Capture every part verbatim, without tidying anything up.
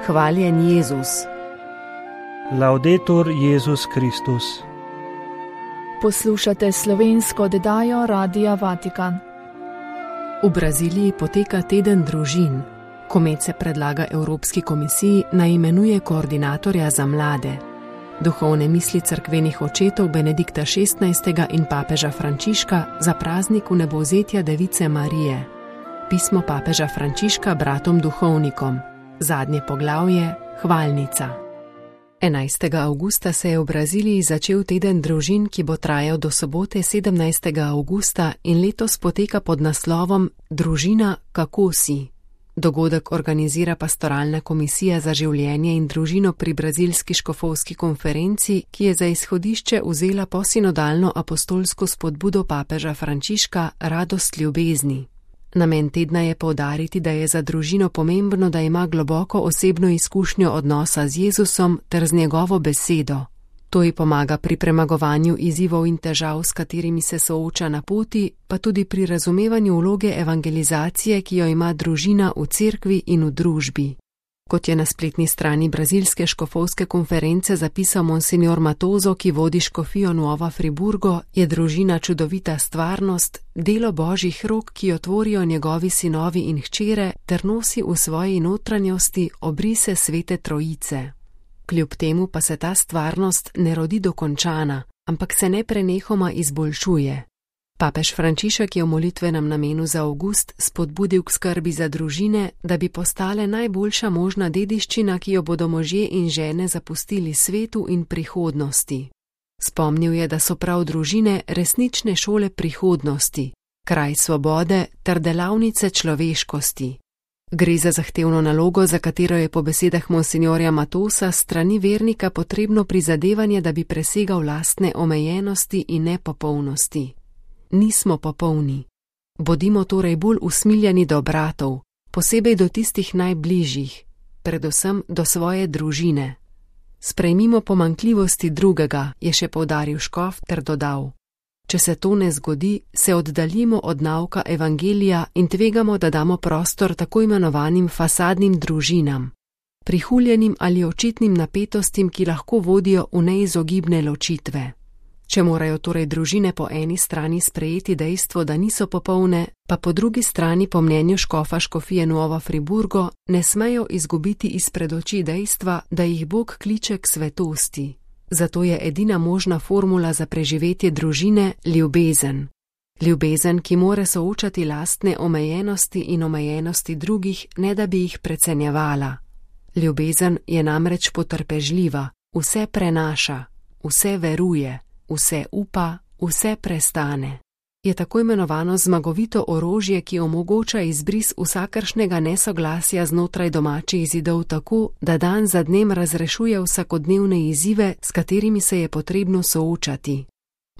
Hvaljen Jezus. Laudetur Jezus Kristus. Poslušate slovensko oddajo Radia Vatikan. V Braziliji poteka teden družin. Komet se predlaga Evropski komisiji naj imenuje koordinatorja za mlade. Duhovne misli cerkvenih očetov Benedikta šestnajstega in papeža Frančiška za praznik vnebovzetja Device Marije. Pismo papeža Frančiška bratom duhovnikom. Zadnje poglavje, hvalnica. enajstega avgusta se je v Braziliji začel teden družin, ki bo trajal do sobote sedemnajstega avgusta in letos poteka pod naslovom Družina, kako si. Dogodek organizira Pastoralna komisija za življenje in družino pri Brazilski škofovski konferenci, ki je za izhodišče vzela posinodalno apostolsko spodbudo papeža Frančiška Radost ljubezni. Namen tedna je poudariti, da je za družino pomembno, da ima globoko osebno izkušnjo odnosa z Jezusom ter z njegovo besedo. To ji pomaga pri premagovanju izzivov in težav, s katerimi se sooča na poti, pa tudi pri razumevanju vloge evangelizacije, ki jo ima družina v cerkvi in v družbi. Kot je na spletni strani Brazilske škofovske konference zapisal monsignor Matozo, ki vodi škofijo Nova Friburgo, je družina čudovita stvarnost, delo božjih rok, ki jo tvorijo njegovi sinovi in hčere, ter nosi v svoji notranjosti obrise svete trojice. Kljub temu pa se ta stvarnost ne rodi dokončana, ampak se neprenehoma izboljšuje. Papež Frančišek je v molitvenem namenu za avgust spodbudil k skrbi za družine, da bi postale najboljša možna dediščina, ki jo bodo možje in žene zapustili svetu in prihodnosti. Spomnil je, da so prav družine resnične šole prihodnosti, kraj svobode ter delavnice človeškosti. Gre za zahtevno nalogo, za katero je po besedah monsinjorja Matosa strani vernika potrebno prizadevanje, da bi presegal lastne omejenosti in nepopolnosti. Nismo popolni. Bodimo torej bolj usmiljeni do bratov, posebej do tistih najbližjih, predvsem do svoje družine. Sprejmimo pomanjkljivosti drugega, je še poudaril škof ter dodal. Če se to ne zgodi, se oddaljimo od nauka evangelija in tvegamo, da damo prostor tako imenovanim fasadnim družinam, prihuljenim ali očitnim napetostim, ki lahko vodijo v neizogibne ločitve. Če morajo torej družine po eni strani sprejeti dejstvo, da niso popolne, pa po drugi strani po mnenju škofa škofije Nova Friburgo ne smejo izgubiti izpred oči dejstva, da jih Bog kliče k svetosti. Zato je edina možna formula za preživetje družine ljubezen. Ljubezen, ki more soočati lastne omejenosti in omejenosti drugih, ne da bi jih precenjevala. Ljubezen je namreč potrpežljiva, vse prenaša, vse veruje, vse upa, vse prestane. Je tako imenovano zmagovito orožje, ki omogoča izbris vsakršnega nesoglasja znotraj domačih zidov tako, da dan za dnem razrešuje vsakodnevne izzive, s katerimi se je potrebno soočati.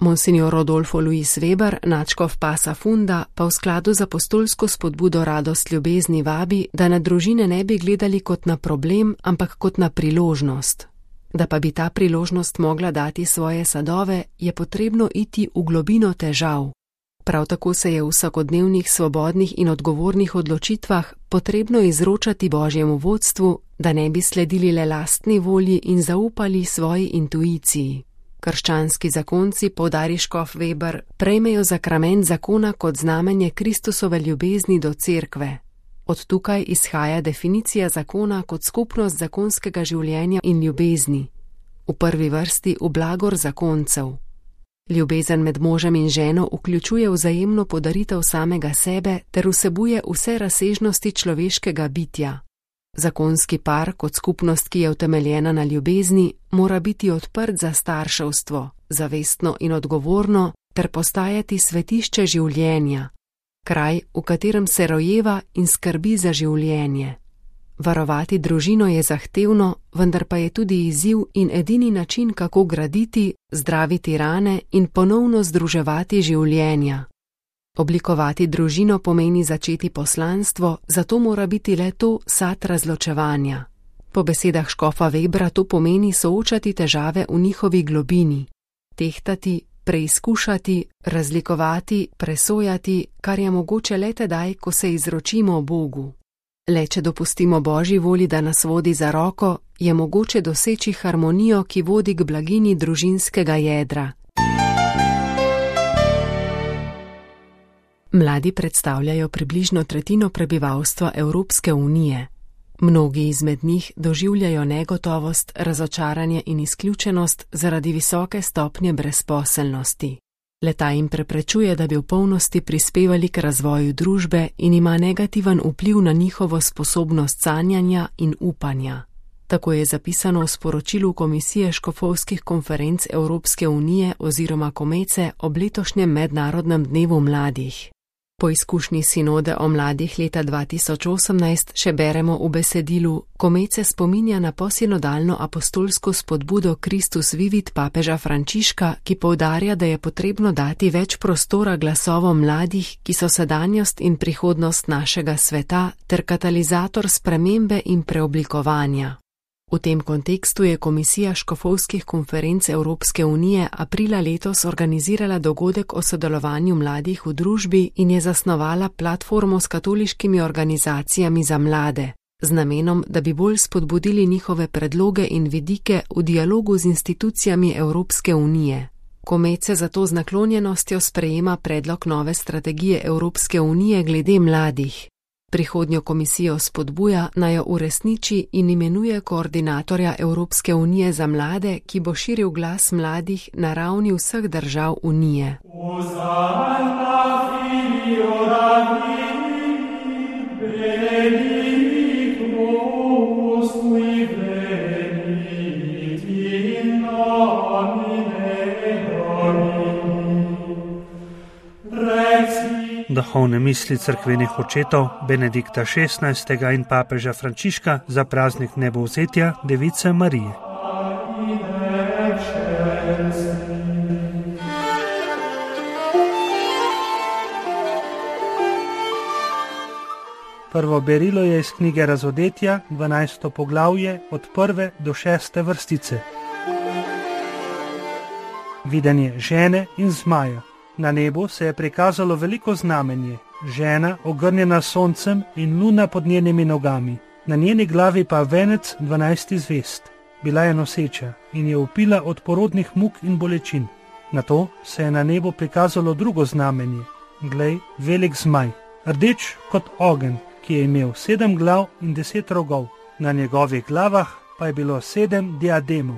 Monsignor Rodolfo Luis Weber, nadškof Pasa Funda, pa v skladu z apostolsko spodbudo Radost ljubezni vabi, da na družine ne bi gledali kot na problem, ampak kot na priložnost. Da pa bi ta priložnost mogla dati svoje sadove, je potrebno iti v globino težav. Prav tako se je v vsakodnevnih svobodnih in odgovornih odločitvah potrebno izročati Božjemu vodstvu, da ne bi sledili le lastni volji in zaupali svoji intuiciji. Krščanski zakonci, poudari škof Weber, prejmejo zakrament zakona kot znamenje Kristusove ljubezni do cerkve. Od tukaj izhaja definicija zakona kot skupnost zakonskega življenja in ljubezni. V prvi vrsti v blagor zakoncev. Ljubezen med možem in ženo vključuje vzajemno podaritev samega sebe ter vsebuje vse razsežnosti človeškega bitja. Zakonski par, kot skupnost, ki je utemeljena na ljubezni, mora biti odprt za starševstvo, zavestno in odgovorno, ter postajati svetišče življenja, kraj, v katerem se rojeva in skrbi za življenje. Varovati družino je zahtevno, vendar pa je tudi izziv in edini način, kako graditi, zdraviti rane in ponovno združevati življenja. Oblikovati družino pomeni začeti poslanstvo, zato mora biti le to sad razločevanja. Po besedah škofa Webra to pomeni soočati težave v njihovi globini, tehtati, preizkušati, razlikovati, presojati, kar je mogoče le tedaj, ko se izročimo Bogu. Le če dopustimo Božji volji, da nas vodi za roko, je mogoče doseči harmonijo, ki vodi k blaginji družinskega jedra. Mladi predstavljajo približno tretjino prebivalstva Evropske unije. Mnogi izmed njih doživljajo negotovost, razočaranje in izključenost zaradi visoke stopnje brezposelnosti. Le-ta jim preprečuje, da bi v polnosti prispevali k razvoju družbe in ima negativen vpliv na njihovo sposobnost sanjanja in upanja. Tako je zapisano v sporočilu Komisije škofovskih konferenc Evropske unije oziroma Komece ob letošnjem mednarodnem dnevu mladih. Po izkušnji sinode o mladih leta dva tisoč osemnajst še beremo v besedilu: Komece spominja na posinodalno apostolsko spodbudo Kristus Vivit papeža Frančiška, ki poudarja, da je potrebno dati več prostora glasovom mladih, ki so sedanjost in prihodnost našega sveta ter katalizator spremembe in preoblikovanja. V tem kontekstu je Komisija škofovskih konferenc Evropske unije aprila letos organizirala dogodek o sodelovanju mladih v družbi in je zasnovala platformo s katoliškimi organizacijami za mlade, z namenom, da bi bolj spodbudili njihove predloge in vidike v dialogu z institucijami Evropske unije. Komece zato z naklonjenostjo sprejema predlog nove strategije Evropske unije glede mladih. Prihodnjo komisijo spodbuja, naj jo uresniči in imenuje koordinatorja Evropske unije za mlade, ki bo širil glas mladih na ravni vseh držav unije. Duhovne misli cerkvenih očetov Benedikta šestnajstega in papeža Frančiška za praznik nebovzetja Device Marije. Prvo berilo je iz knjige Razodetja, dvanajsto poglavje, od prve do šeste vrstice. Videnje žene in zmaja. Na nebu se je prikazalo veliko znamenje, žena ogrnjena soncem in luna pod njenimi nogami, na njeni glavi pa venec dvanajstih zvezd. Bila je noseča in je vpila od porodnih muk in bolečin. Nato se je na nebu prikazalo drugo znamenje, glej, velik zmaj, rdeč kot ogenj, ki je imel sedem glav in deset rogov, na njegovih glavah pa je bilo sedem diademov.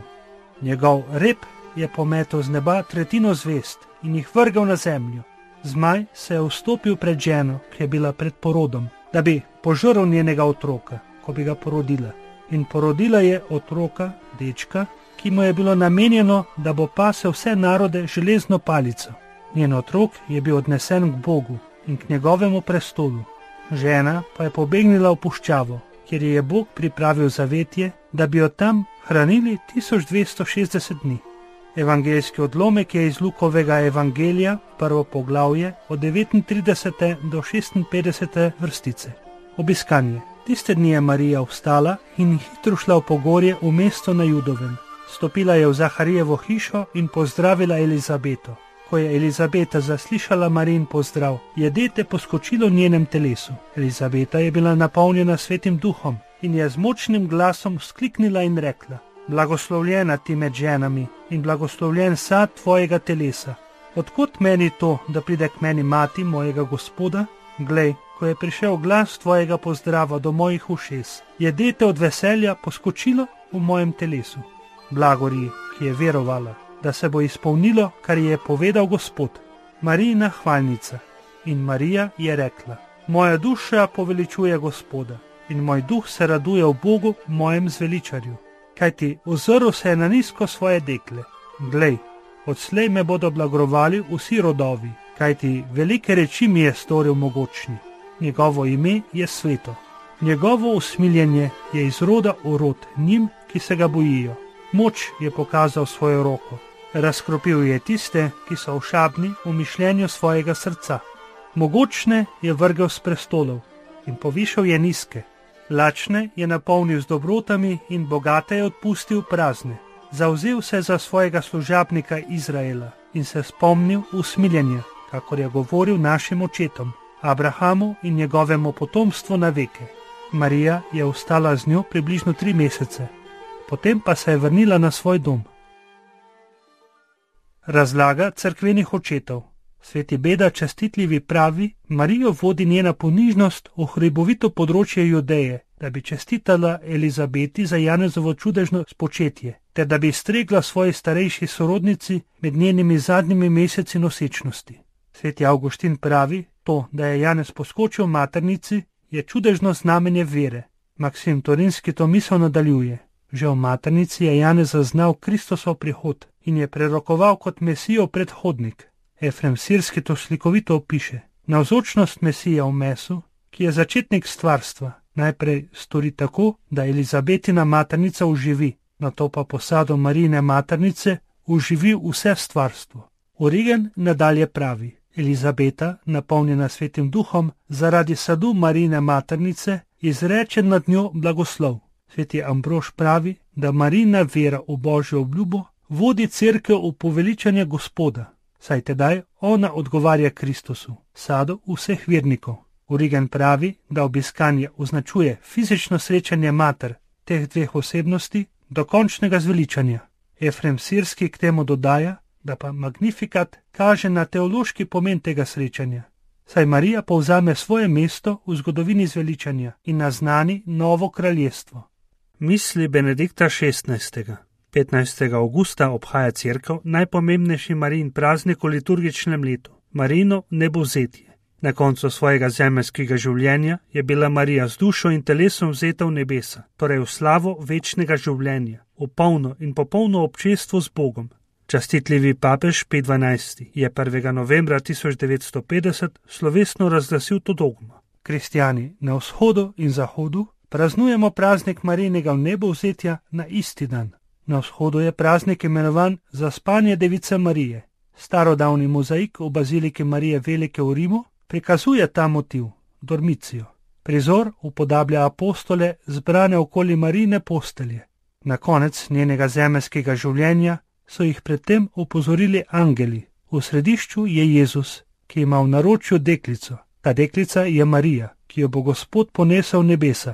Njegov rep je pometel z neba tretjino zvezd in jih vrgal na zemljo. Zmaj se je vstopil pred ženo, ki je bila pred porodom, da bi požrl njenega otroka, ko bi ga porodila. In porodila je otroka, dečka, ki mu je bilo namenjeno, da bo pasel vse narode železno palico. Njen otrok je bil odnesen k Bogu in k njegovemu prestolu. Žena pa je pobegnila v puščavo, kjer je Bog pripravil zavetje, da bi jo tam hranili tisoč dvesto šestdeset dni. Evangeljski odlomek je iz Lukovega evangelija, prvo poglavje, od devetintridesete do šestinpetdesete vrstice. Obiskanje. Tiste dni je Marija vstala in hitro šla v pogorje v mesto na Judovem. Stopila je v Zaharijevo hišo in pozdravila Elizabeto. Ko je Elizabeta zaslišala Marijin pozdrav, je dete poskočilo v njenem telesu. Elizabeta je bila napolnjena svetim duhom in je z močnim glasom vzkliknila in rekla: Blagoslovljena ti med ženami in blagoslovljen sad tvojega telesa. Odkot meni to, da pride k meni mati mojega Gospoda? Glej, ko je prišel glas tvojega pozdrava do mojih ušes, je dete od veselja poskočilo v mojem telesu. Blagori, ki je verovala, da se bo izpolnilo, kar je povedal Gospod. Marijina hvalnica. In Marija je rekla: Moja duša poveličuje Gospoda in moj duh se raduje v Bogu, mojem zveličarju. Kajti ozrl se je na nizko svoje dekle. Glej, odslej me bodo blagrovali vsi rodovi, kajti velike reči mi je storil mogočni. Njegovo ime je sveto. Njegovo usmiljenje je iz roda v rod njim, ki se ga bojijo. Moč je pokazal svojo roko. Razkropil je tiste, ki so ošabni v mišljenju svojega srca. Mogočne je vrgel s prestolov in povišal je nizke. Lačne je napolnil z dobrotami in bogate je odpustil prazne. Zavzel se za svojega služabnika Izraela in se spomnil usmiljenja, kakor je govoril našim očetom, Abrahamu in njegovemu potomstvu na veke. Marija je ostala z njo približno tri mesece, potem pa se je vrnila na svoj dom. Razlaga cerkvenih očetov. Sveti Beda častitljivi pravi, Marijo vodi njena ponižnost v hribovito področje Judeje, da bi čestitala Elizabeti za Janezovo čudežno spočetje, ter da bi stregla svoji starejši sorodnici med njenimi zadnjimi meseci nosečnosti. Sveti Avguštin pravi, to, da je Janez poskočil v maternici, je čudežno znamenje vere. Maksim Torinski to misel nadaljuje. Že v maternici je Janez zaznal Kristosov prihod in je prerokoval kot Mesijov predhodnik. Efrem Sirski to slikovito opiše. Navzočnost Mesija v mesu, ki je začetnik stvarstva, najprej stori tako, da Elizabetina maternica uživi, nato pa posado Marijine maternice uživi vse stvarstvo. Origen nadalje pravi, Elizabeta, napolnjena Svetim Duhom, zaradi sadu Marijine maternice, izreče nad njo blagoslov. Sveti Ambrož pravi, da Marijina vera v Božjo obljubo vodi cerkev v poveličanje Gospoda, saj tedaj ona odgovarja Kristusu, sadu vseh vernikov. Origen pravi, da obiskanje označuje fizično srečanje mater teh dveh osebnosti do končnega zveličanja. Efrem Sirski k temu dodaja, da pa Magnifikat kaže na teološki pomen tega srečanja, saj Marija povzame svoje mesto v zgodovini zveličanja in naznani novo kraljestvo. Misli Benedikta šestnajstega. petnajstega avgusta obhaja cerkev najpomembnejši Marijin praznik v liturgičnem letu, Marijino nebovzetje. Na koncu svojega zemeljskega življenja je bila Marija z dušo in telesom vzeta v nebesa, torej v slavo večnega življenja, v polno in popolno občestvo z Bogom. Častitljivi papež Pij dvanajsti je prvega novembra tisoč devetsto petdeset slovesno razglasil to dogmo. Kristjani na vzhodu in zahodu praznujemo praznik Marijinega vnebovzetja na isti dan. Na vzhodu je praznik imenovan Zaspanje Device Marije. Starodavni mozaik v baziliki Marije Velike v Rimu prikazuje ta motiv, dormicijo. Prizor upodablja apostole zbrane okoli Marijine postelje. Na konec njenega zemeljskega življenja so jih predtem opozorili angeli. V središču je Jezus, ki ima v naročju deklico. Ta deklica je Marija, ki jo bo Gospod ponesel v nebesa.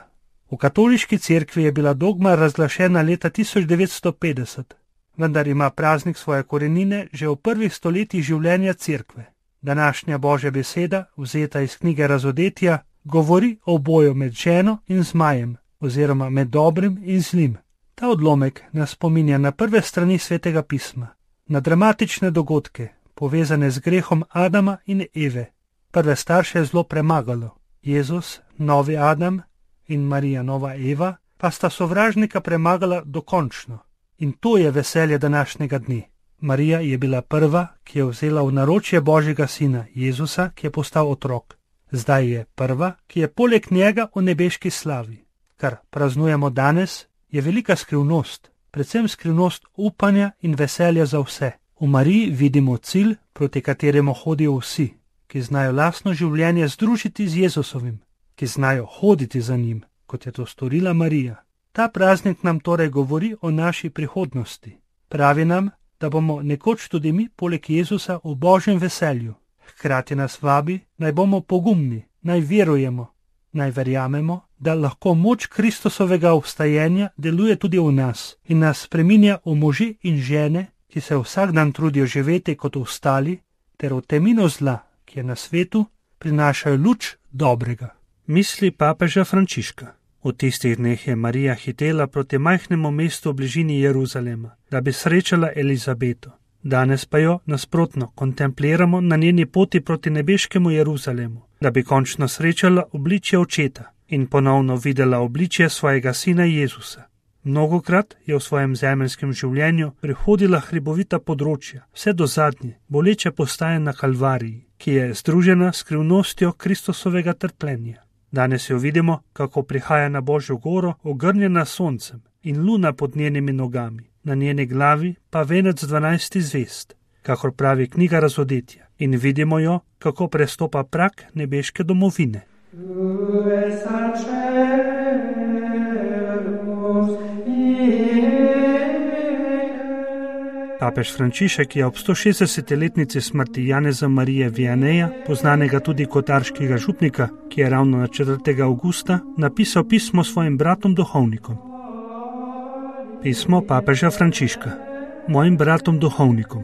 V katoliški cerkvi je bila dogma razglašena leta tisoč devetsto petdeset, vendar ima praznik svoje korenine že v prvih stoletjih življenja cerkve. Današnja Božja beseda, vzeta iz knjige Razodetja, govori o boju med ženo in zmajem, oziroma med dobrim in zlim. Ta odlomek nas spominja na prve strani Svetega pisma, na dramatične dogodke, povezane z grehom Adama in Eve. Prve starše je zlo premagalo. Jezus, novi Adam, in Marija, nova Eva, pa sta sovražnika premagala dokončno. In to je veselje današnjega dne. Marija je bila prva, ki je vzela v naročje Božjega sina, Jezusa, ki je postal otrok. Zdaj je prva, ki je poleg njega v nebeški slavi. Kar praznujemo danes, je velika skrivnost, predvsem skrivnost upanja in veselja za vse. V Mariji vidimo cilj, proti kateremu hodijo vsi, ki znajo lastno življenje združiti z Jezusovim, ki znajo hoditi za njim, kot je to storila Marija. Ta praznik nam torej govori o naši prihodnosti. Pravi nam, da bomo nekoč tudi mi poleg Jezusa v Božjem veselju. Hkrati nas vabi, naj bomo pogumni, naj verujemo, naj verjamemo, da lahko moč Kristusovega obstajenja deluje tudi v nas in nas spreminja v može in žene, ki se vsak dan trudijo živeti kot ostali, ter v temino zla, ki je na svetu, prinašajo luč dobrega. Misli papeža Frančiška. V tistih dneh je Marija hitela proti majhnemu mestu v bližini Jeruzalema, da bi srečala Elizabeto. Danes pa jo, nasprotno, kontempliramo na njeni poti proti nebeškemu Jeruzalemu, da bi končno srečala obličje očeta in ponovno videla obličje svojega sina Jezusa. Mnogokrat je v svojem zemeljskem življenju prehodila hribovita področja, vse do zadnje, boleče postaje na Kalvariji, ki je združena s skrivnostjo Kristusovega trpljenja. Danes jo vidimo, kako prihaja na Božjo goro, ogrnjena soncem in luna pod njenimi nogami, na njeni glavi pa venec dvanajstih zvezd, kakor pravi knjiga Razodetja, in vidimo jo, kako prestopa prak nebeške domovine. Papež Frančišek je ob sto šestdesetletnici smrti Janeza Marije Vianeja, poznanega tudi kot arškega župnika, ki je ravno na četrtega avgusta, napisal pismo svojim bratom duhovnikom. Pismo papeža Frančiška. Mojim bratom duhovnikom.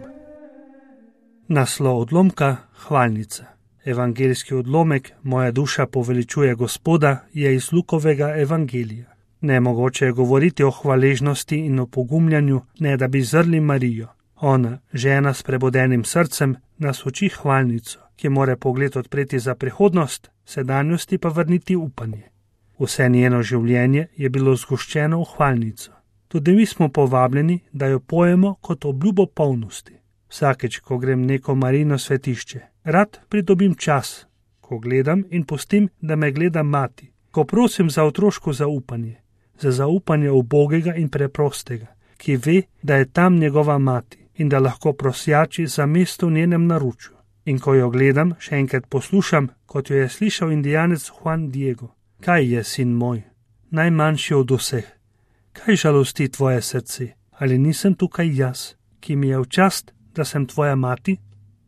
Naslov odlomka: Hvalnica. Evangeljski odlomek Moja duša poveličuje Gospoda je iz Lukovega evangelija. Nemogoče je govoriti o hvaležnosti in o pogumljanju, ne da bi zrli Marijo. Ona, žena s prebudenim srcem, nas uči hvalnico, ki mora pogled odpreti za prihodnost, sedanjosti pa vrniti upanje. Vse njeno življenje je bilo zgoščeno v hvalnico. Tudi mi smo povabljeni, da jo pojemo kot obljubo polnosti. Vsakeč, ko grem neko Marijino svetišče, rad pridobim čas, ko gledam in pustim, da me gleda mati, ko prosim za otroško zaupanje, za zaupanje ubogega in preprostega, ki ve, da je tam njegova mati in da lahko prosjači za mesto v njenem naročju. In ko jo gledam, še enkrat poslušam, kot jo je slišal indijanec Juan Diego. Kaj je, sin moj, najmanjši od vseh? Kaj žalosti tvoje srce? Ali nisem tukaj jaz, ki mi je v čast, da sem tvoja mati?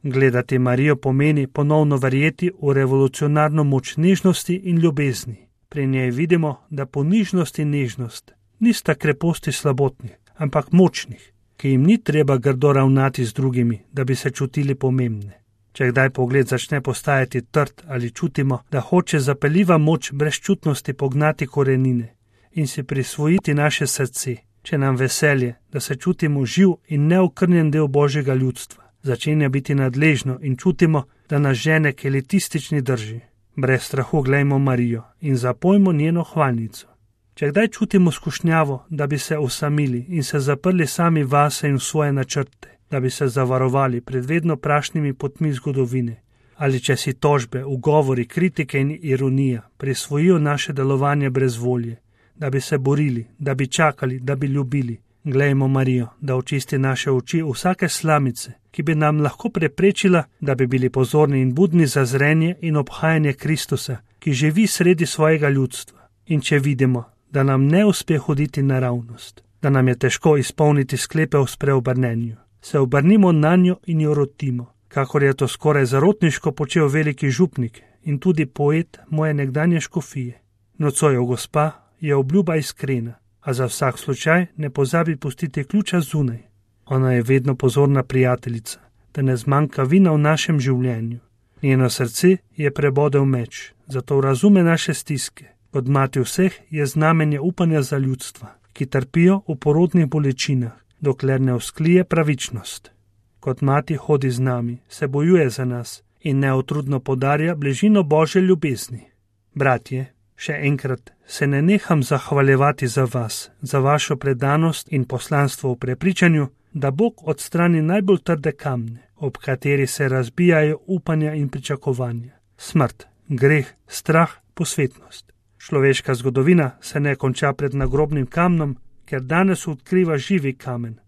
Gledati Marijo pomeni ponovno verjeti v revolucionarno moč nežnosti in ljubezni. Pri njej vidimo, da ponižnost in nežnost nista kreposti slabotnih, ampak močnih, ki jim ni treba grdo ravnati z drugimi, da bi se čutili pomembne. Če kdaj pogled začne postajati trd ali čutimo, da hoče zapeljiva moč brezčutnosti pognati korenine in si prisvojiti naše srce, če nam veselje, da se čutimo živ in neokrnjen del Božjega ljudstva, začenja biti nadležno in čutimo, da nas žene k elitistični drži. Brez strahu glejmo Marijo in zapojmo njeno hvalnico. Če kdaj čutimo skušnjavo, da bi se osamili in se zaprli sami vase in v svoje načrte, da bi se zavarovali pred vedno prašnimi potmi zgodovine, ali če si tožbe, ugovori, kritike in ironija prisvojijo naše delovanje brez volje, da bi se borili, da bi čakali, da bi ljubili, glejmo Marijo, da očisti naše oči vsake slamice, ki bi nam lahko preprečila, da bi bili pozorni in budni za zrenje in obhajanje Kristusa, ki živi sredi svojega ljudstva. In če vidimo, da nam ne uspe hoditi naravnost, da nam je težko izpolniti sklepe o spreobrnenju, se obrnimo na njo in jo rotimo, kakor je to skoraj zarotniško počel veliki župnik in tudi poet moje nekdanje škofije. Nocojo gospa je obljuba iskrena, a za vsak slučaj ne pozabi pustiti ključa zunaj. Ona je vedno pozorna prijateljica, da ne zmanjka vina v našem življenju. Njeno srce je prebodel meč, zato razume naše stiske. Kot mati vseh je znamenje upanja za ljudstva, ki trpijo v porodnih bolečinah, dokler ne usklije pravičnost. Kot mati hodi z nami, se bojuje za nas in neotrudno podarja bližino Božje ljubezni. Bratje, še enkrat se ne neham zahvaljevati za vas, za vašo predanost in poslanstvo v prepričanju, da Bog odstrani najbolj trde kamne, ob kateri se razbijajo upanja in pričakovanja. Smrt, greh, strah, posvetnost. Človeška zgodovina se ne konča pred nagrobnim kamnom, ker danes odkriva živi kamen,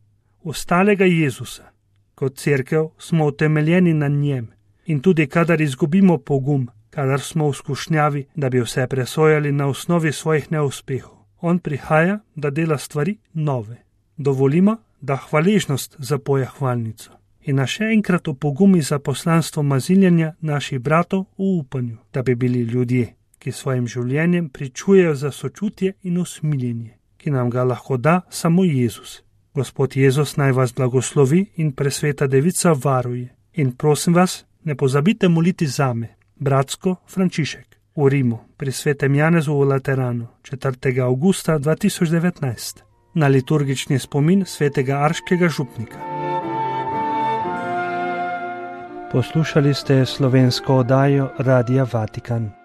ostalega Jezusa. Kot cerkev smo utemeljeni na njem in tudi kadar izgubimo pogum, kadar smo v skušnjavi, da bi vse presojali na osnovi svojih neuspehov, on prihaja, da dela stvari nove. Dovolimo, da hvaležnost zapoje hvalnico in nas še enkrat opogumi za poslanstvo maziljenja naših bratov v upanju, da bi bili ljudje, ki svojim življenjem pričujejo za sočutje in usmiljenje, ki nam ga lahko da samo Jezus. Gospod Jezus naj vas blagoslovi in presveta devica varuje. In prosim vas, ne pozabite moliti zame, bratsko Frančišek, v Rimu, pri svetem Janezu v Lateranu, četrtega avgusta dva tisoč devetnajst, na liturgični spomin svetega arškega župnika. Poslušali ste slovensko oddajo Radia Vatikan.